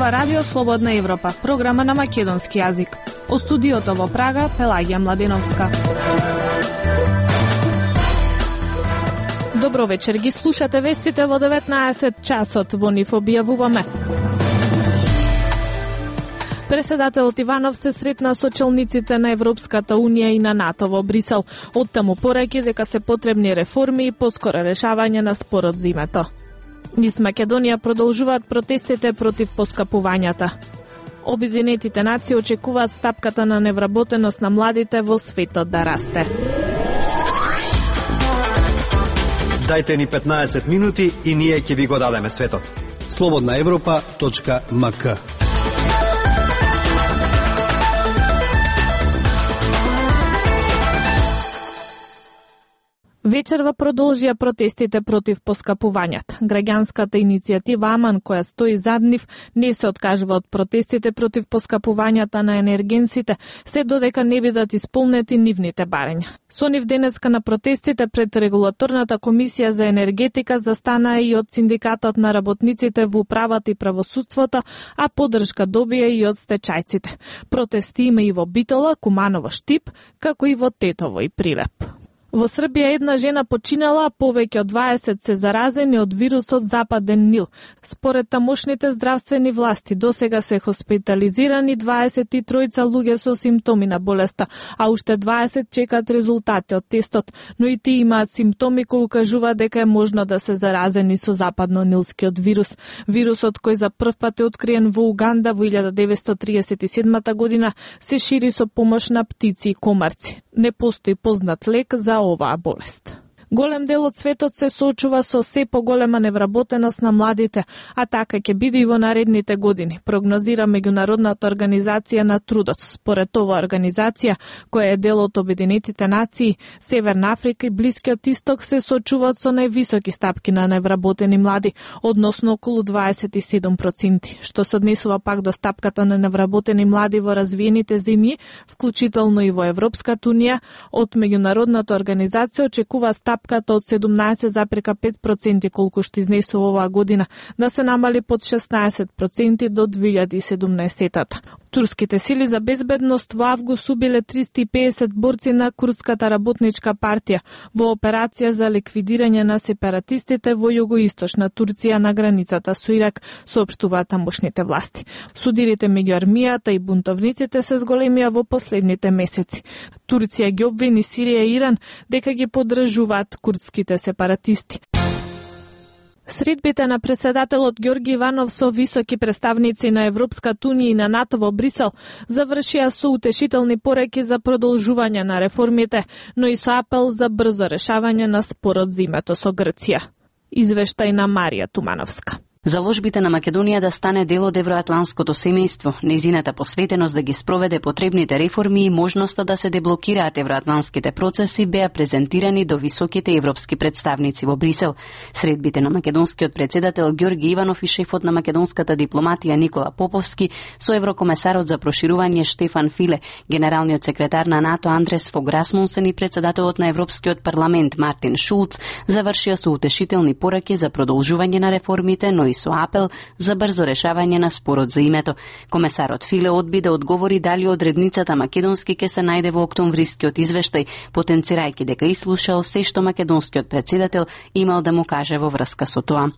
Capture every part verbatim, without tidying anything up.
Ова радио Слободна Европа, програма на македонски јазик. О студиото во Прага, Пелагија Младеновска. Добро вечер, ги слушате вестите во деветнаесет часот, во нив објавуваме. Преседателот Иванов се сретна со челниците на Европската Унија и на НАТО во Брисел. Оттаму пореки дека се потребни реформи и поскоро решавање на спорот за името. Низ Македонија продолжуваат протестите против поскапувањата. Обединетите нации очекуваат стапката на невработеност на младите во светот да расте. Дајте ни петнаесет минути и ние ќе ви го дадеме светот. слободна европа точка ем ка. Вечерва продолжија протестите против поскапувањата. Граѓанската иницијатива Аман, која стои зад нив, не се откажува од протестите против поскапувањата на енергенсите, се додека не бидат исполнети нивните барања. Со нив денеска на протестите пред Регулаторната комисија за енергетика застанаа и од Синдикатот на работниците во управата и правосудството, а поддршка добија и од стечајците. Протести има и во Битола, Куманово, Штип, како и во Тетово и Прилеп. Во Србија една жена починала, а повеќе од дваесет се заразени од вирусот Западен Нил. Според тамошните здравствени власти, досега се хоспитализирани дваесет и тројца луѓе со симптоми на болеста, а уште дваесет чекаат резултати од тестот, но и тие имаат симптоми кои укажуваат дека е можно да се заразени со западно-нилскиот вирус. Вирусот кој за прв пат е откриен во Уганда во илјада деветстотини триесет и седма година се шири со помош на птици и комарци. Не постои познат лек за оваа болест. Голем дел од светот се соочува со се поголема невработеност на младите, а така ќе биде и во наредните години, прогнозира Меѓународната организација на трудот. Според оваа организација, која е дел од Обединетите нации, Северна Африка и Блискиот Исток се соочуваат со највисоки стапки на невработени млади, односно околу дваесет и седум проценти, што се однесува пак до стапката на невработени млади во развиените земји, вклучително и во Европската Унија. Од Меѓународната организација очекува стапката од седумнаесет запирка пет проценти колку што изнесува оваа година, да се намали под шеснаесет проценти до две илјади и седумнаесета. Турските сили за безбедност во август убиле триста и педесет борци на Курдската работничка партија во операција за ликвидирање на сепаратистите во југоисточна Турција на границата со Ирак, соопштуваат тамошните власти. Судирите меѓу армијата и бунтовниците се зголемија во последните месеци. Турција ги обвини Сирија и Иран дека ги поддржуваат курдските сепаратисти. Средбите на преседателот Ѓорги Иванов со високи представници на Европската Унија и на НАТО во Брисел завршија со утешителни пореки за продолжување на реформите, но и со апел за брзо решавање на спорот за името со Грција. Извештај на Марија Тумановска. Заложбите на Македонија да стане дел од евроатланското семејство, нејзината посветеност да ги спроведе потребните реформи и можноста да се деблокираат евроатланските процеси беа презентирани до високите европски представници во Брисел. Средбите на македонскиот председател Ѓорги Иванов и шефот на македонската дипломатија Никола Поповски со еврокомесарот за проширување Штефан Филе, генералниот секретар на НАТО Андрес Фог Расмунсен и председателот на Европскиот парламент Мартин Шулц завршија со утешителни пораки за продолжување на реформите, но и со апел за брзо решавање на спорот за името. Комесарот Филе одби да одговори дали одредницата македонски ќе се најде во октомврискиот извештај, потенцирајќи дека ислушал се што македонскиот председател имал да му каже во врска со тоа.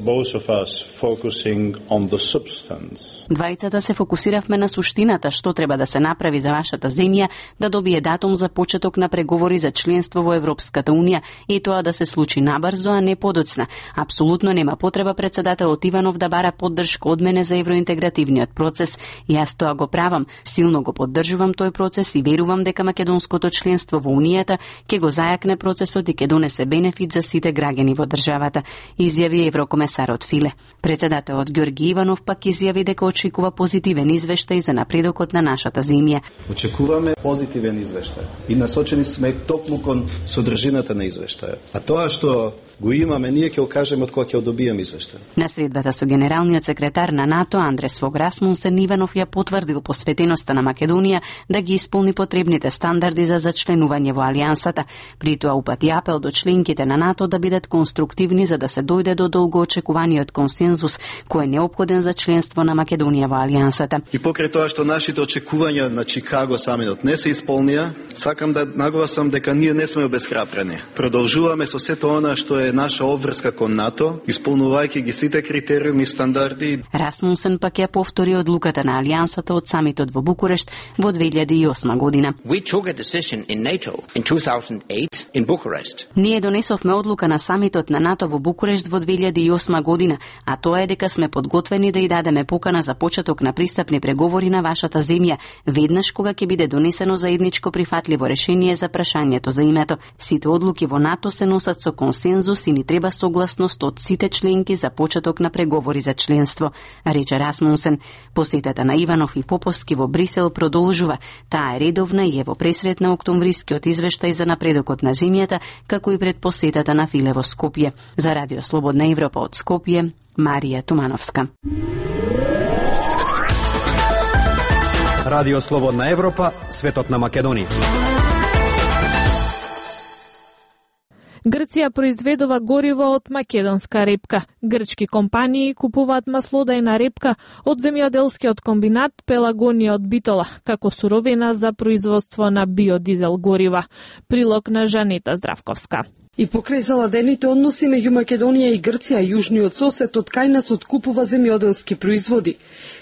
Двајцата се фокусиравме на суштината што треба да се направи за вашата земја да добие датум за почеток на преговори за членство во Европската Унија и тоа да се случи набрзо, а не подоцна. Апсолутно нема потреба председателот Иванов да бара поддршка од мене за евроинтегративниот процес. Јас тоа го правам, силно го поддржувам тој процес и верувам дека македонското членство во Унијата ќе го зајакне процесот и ќе донесе бенефит за сите граѓани во државата, изјави еврокомесарот Филе. Председателот Ѓорги Иванов пак изјави дека очекува позитивен извештај за напредокот на нашата земја. Очекуваме позитивен извештај и насочени сме токму кон содржината на извештајот. А тоа што го имаме, ние ќе го кажеме од кога ќе добиеме извештај. На средбата со генералниот секретар на НАТО Андрес Фог Расмунсен, Иванов ја потврдил посветеноста на Македонија да ги исполни потребните стандарди за зачленување во алијансата. При тоа упати апел до членките на НАТО да бидат конструктивни за да се дојде до долгоочекуваниот консензус кој е неопходен за членство на Македонија во алијансата. И покрај тоа што нашите очекувања на Чикаго самитот не се исполнија, сакам да нагласам дека ние не сме обесхрабрени. Продолжуваме со сето она што е наша обврска кон НАТО, исполнувајќи ги сите критериуми и стандарди. Расмунсен пак ја повтори одлуката на алијансата од самитот во Букурешт во две илјади и осма година. We took a decision in NATO in two thousand eight in Bucharest. Ние донесовме одлука на самитот на НАТО во Букурешт во две илјади и осма година, а тоа е дека сме подготвени да ја дадеме покана за почеток на пристапни преговори на вашата земја, веднаш кога ќе биде донесено заедничко прифатливо решение за прашањето за името. Сите одлуки во НАТО се носат со консензус и ни треба согласност од сите членки за почеток на преговори за членство, рече Расмунсен. Посетата на Иванов и Поповски во Брисел продолжува. Таа е редовна и е во пресрет на октомврискиот извештај за напредокот на земјата, како и пред посетата на Филе во Скопје. За Радио Слободна Европа од Скопје, Марија Тумановска. Радио Слободна Европа, светот на Македонија. Грција произведува гориво од македонска репка. Грчки компании купуваат маслодajна репка од земјоделскиот комбинат Пелагонија од Битола, како суровина за производство на биодизел горива. Прилог на Жанета Здравковска. И покрај заладените односи меѓу Македонија и Грција, јужниот сосед од кај нас откупува земјоделски производи.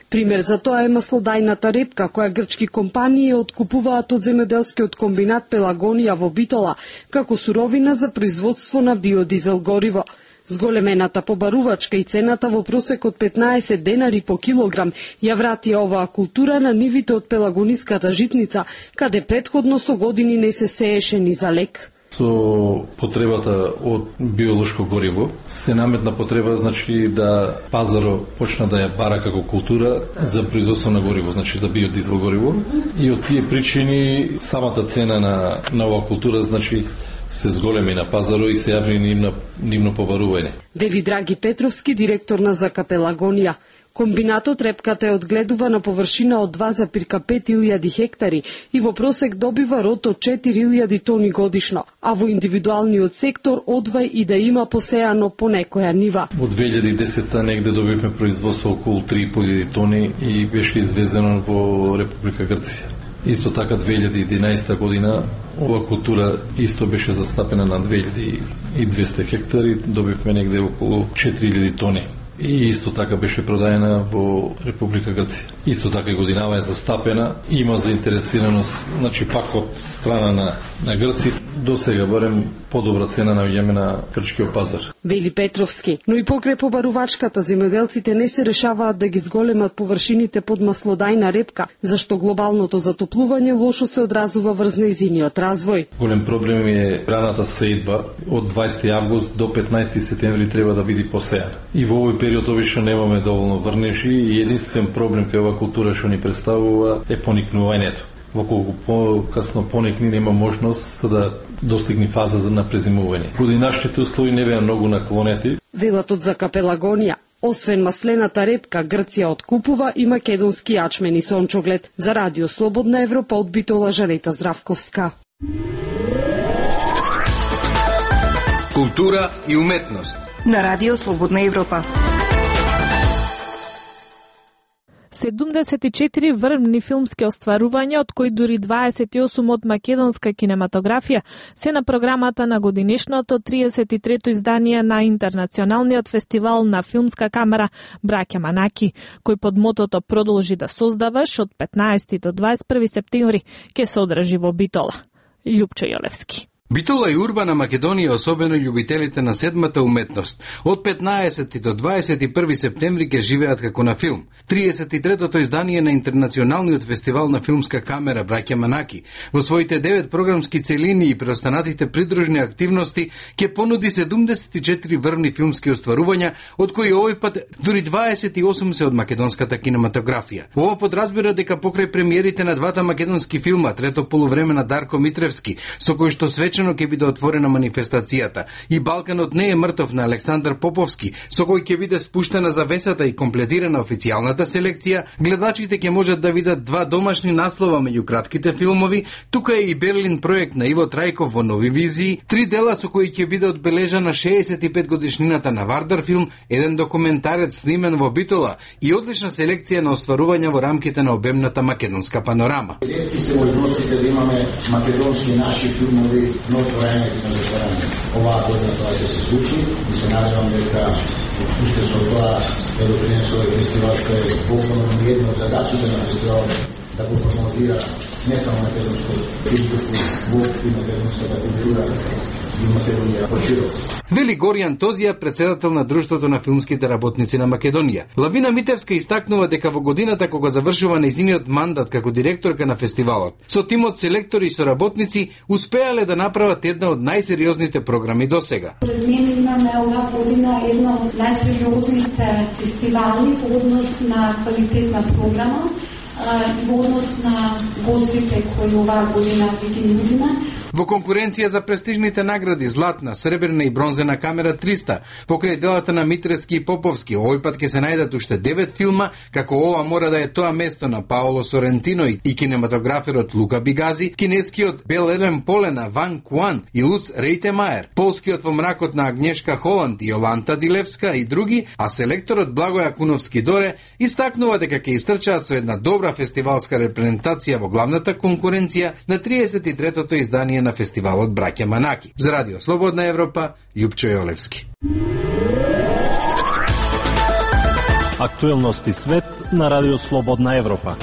Пример за тоа е маслодajната репка, која грчки компании откупуваат од земјоделскиот комбинат Пелагонија во Битола, како суровина за производство на биодизел гориво. Зголемената побарувачка и цената во просек од петнаесет денари по килограм ја врати оваа култура на нивите од пелагониската житница, каде претходно со години не се сееше ни за лек. Со потребата од биолошко гориво се наметна потреба, значи да пазаро почна да ја бара како култура за производство на гориво, значи за биодизел гориво, и од тие причини самата цена на на оваа култура, значи се зголеми на пазаро и се јави нивно, нивно побарување. Вели Драги Петровски, директор на ЗК Пелагонија. Комбинатот репката е одгледува на површина од два зарез пет илјади хектари и во просек добива род од четири илјади тони годишно, а во индивидуалниот сектор одвај и да има посеано по некоја нива. Во две илјади и десета негде добивме производство околу три и по илјади тони и беше извезено во Република Грција. Исто така две илјади и единаесета година ова култура исто беше застапена на две илјади и двесте хектари, добивме негде околу четири илјади тони. И исто така беше продаена во Република Грција. Исто така и годинава е застапена, има заинтересираност, значи пак од страна на, на Грци, до сега барем подобра цена на јеме на грчкиот пазар. Вели Петровски, но и покрај побарувачката земјоделците не се решаваат да ги зголемат површините под маслодajна репка, зашто глобалното затоплување лошо се одразува врз нејзиниот развој. Голем проблем е раната сеидба од дваесети август до петнаесети септември треба да биде посејана. И во овој период обично немаме доволно врнежи и единствен проблем кај оваа култура што ни представува е поникнувањето. Во колку по-касно поникни нема можност за да достигне фаза за напрезимување. Поради нашите услови не беа многу наклонети. Велат од ЗК Пелагонија. Освен маслената репка, Грција откупува и македонски јачмен и сончоглед. За Радио Слободна Европа од Битола, Жанета Здравковска. Култура и уметност на Радио Слободна Европа. седумдесет и четири врвни филмски остварувања, од кои дури дваесет и осум од македонска кинематографија, се на програмата на годинешното триесет и трето издание на Интернационалниот фестивал на филмска камера Браќа Манаки, кој под мотото "Продолжи да создаваш" од петнаесети до дваесет и први септември ќе се одржи во Битола. Љупчо Јолевски. Битола е урбана Македонија, особено љубителите на седмата уметност. Од петнаесети до дваесет и први септември ќе живеат како на филм. триесет и третото издание на Интернационалниот фестивал на филмска камера Браќа Манаки во своите девет програмски целини и преостанатите придружни активности ќе понуди седумдесет и четири врвни филмски остварувања, од кои овој пат дури дваесет и осум се од македонската кинематографија. Ова подразбира дека покрај премиерите на двата македонски филма, трето полувреме на Дарко Митревски, со кој што свечи свечено ќе биде отворена манифестацијата и Балканот не е мртов на Александар Поповски, со кој ќе биде спуштена завесата и комплетирана официјалната селекција, гледачите ќе можат да видат два домашни наслова меѓу кратките филмови, тука е и Берлин проект на Иво Трајков во нови визии, три дела со кои ќе биде одбележана шеесет и пет годишнината на Вардар филм, еден документарец снимен во Битола и одлична селекција на остварувања во рамките на обемната македонска панорама. Ретки се можностите да имаме македонски наши филмови на отворањето на затворање. Оваа година тоа ќе се случи и се надевам дека уште со тоа да допринесе овој фестивал кој е буквално едно од задачите на фестивалот да го промотира не само македонско филмско во и македонската култура и Македонија пошироко. Вели Горијан Тозија, председател на Друштвото на филмските работници на Македонија. Лавина Митевска истакнува дека во годината кога завршува нејзиниот мандат како директорка на фестивалот, со тимот селектори и соработници успеале да направат една од најсериозните програми досега. Пред мене имаме оваа година една од најсериозните фестивали во однос на квалитетна програма, во однос на гостите кои оваа година ги нудиме. Во конкуренција за престижните награди Златна, Сребрна и Бронзена камера триста, покрај делата на Митрески и Поповски, овој пат ќе се најдат уште девет филма, како ова мора да е тоа место на Паоло Сорентино и кинематограферот Лука Бигази, кинескиот Бел Елен Полена Ван Куан и Луц Рейтемаер, полскиот Во мракот на Агнешка Холанд и Јоланта Дилевска и други, а селекторот Благој Акуновски Доре истакнува дека ќе истрчаат со една добра фестивалска репрезентација во главната конкуренција на триесет и третото издание на фестивалот Браќа Манаки. За Радио Слободна Европа, Љупчо Јолевски. Актуелности свет на Радио Слободна Европа.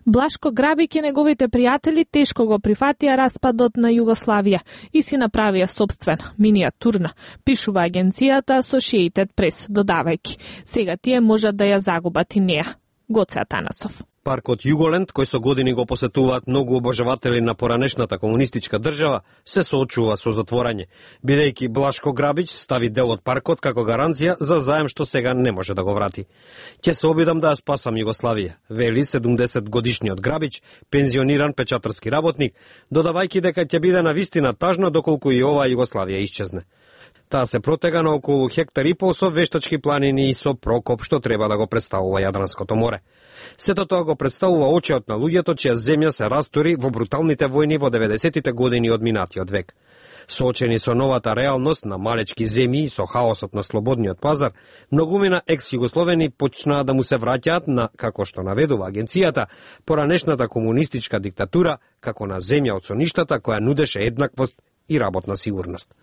Блашко Грабик и неговите пријатели тешко го прифатија распадот на Југославија и си направија собствена, миниатурна, пишува агенцијата Associated Press, додавајќи: сега тие можат да ја загубат и неа. Гоце Атанасов. Паркот Југоленд, кој со години го посетуваат многу обожаватели на поранешната комунистичка држава, се соочува со затворање, бидејќи Блашко Грабич стави дел од паркот како гаранција за заем што сега не може да го врати. Ќе се обидам да ја спасам Југославија, вели седумдесет годишниот Грабич, пензиониран печатарски работник, додавајќи дека ќе биде навистина тажно доколку и оваа Југославија исчезне. Таа се протега на околу хектар и пол со вештачки планини и со прокоп што треба да го представува Јадранското море. Сето тоа го представува очиот на луѓето чија земја се растори во бруталните војни во деветдесетите години од минатиот век. Соочени со новата реалност на малечки земји и со хаосот на слободниот пазар, многумина екс-југословени почнаа да му се враќаат на, како што наведува агенцијата, поранешната комунистичка диктатура како на земја од соништата која нудеше еднаквост и работна сигурност.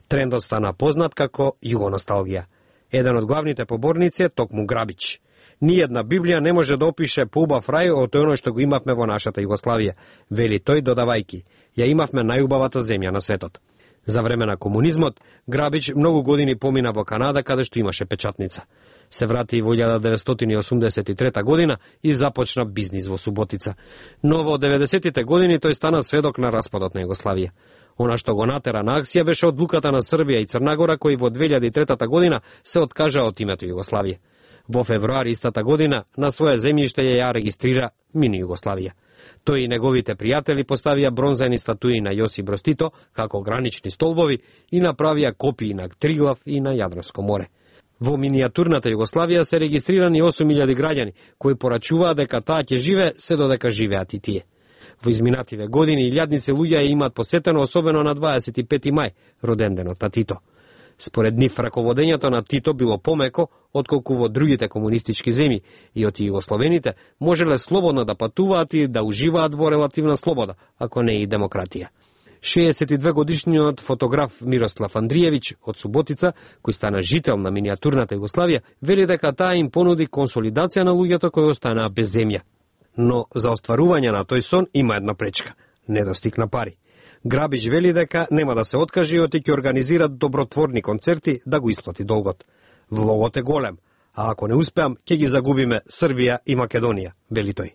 Трендот стана познат како југоносталгија. Еден од главните поборници е токму Грабич. Ниједна Библија не може да опише поубав рај од оној што го имавме во нашата Југославија, вели тој додавајки: ја имавме најубавата земја на светот. За време на комунизмот, Грабич многу години помина во Канада, каде што имаше печатница. Се врати во илјада деветстотини и осумдесет и трета година и започна бизнис во Суботица. Но во деветдесетите години тој стана сведок на распадот на Југославија. Она што го натера на акција беше одлуката на Србија и Црнагора, кои во две илјади и трета година се откажа од името Југославија. Во февруари истата година на своје земјиште ја регистрира мини Југославија. Тој и неговите пријатели поставија бронзени статуи на Јосип Брз Тито како гранични столбови и направија копии на Триглав и на Јадранско море. Во миниатурната Југославија се регистрирани осум илјади граѓани кои порачуваат дека таа ќе живее се додека живеат и тие. Во изминативе години илјадници луѓе ја имаат посетено, особено на дваесет и пети мај, роденденот на Тито. Според нив, раководењето на Тито било помеко отколку во другите комунистички земји и од југословените можеле слободно да патуваат и да уживаат во релативна слобода, ако не и демократија. шеесет и две годишниот фотограф Мирослав Андриевиќ од Суботица, кој стана жител на миниатурната Југославија, вели дека таа им понуди консолидација на луѓето кои останаа без земја. Но за остварување на тој сон има една пречка – недостиг на пари. Грабич вели дека нема да се откаже и ќе организираат добротворни концерти да го исплати долгот. Влогот е голем, а ако не успеам, ќе ги загубиме Србија и Македонија, вели тој.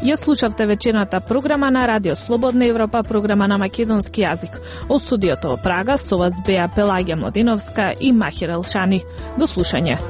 Ја слушавте вечерната програма на Радио Слободна Европа, програма на македонски јазик. Од студиото во Прага со вас беа Пелагија Младиновска и Махир Елшани. До слушање.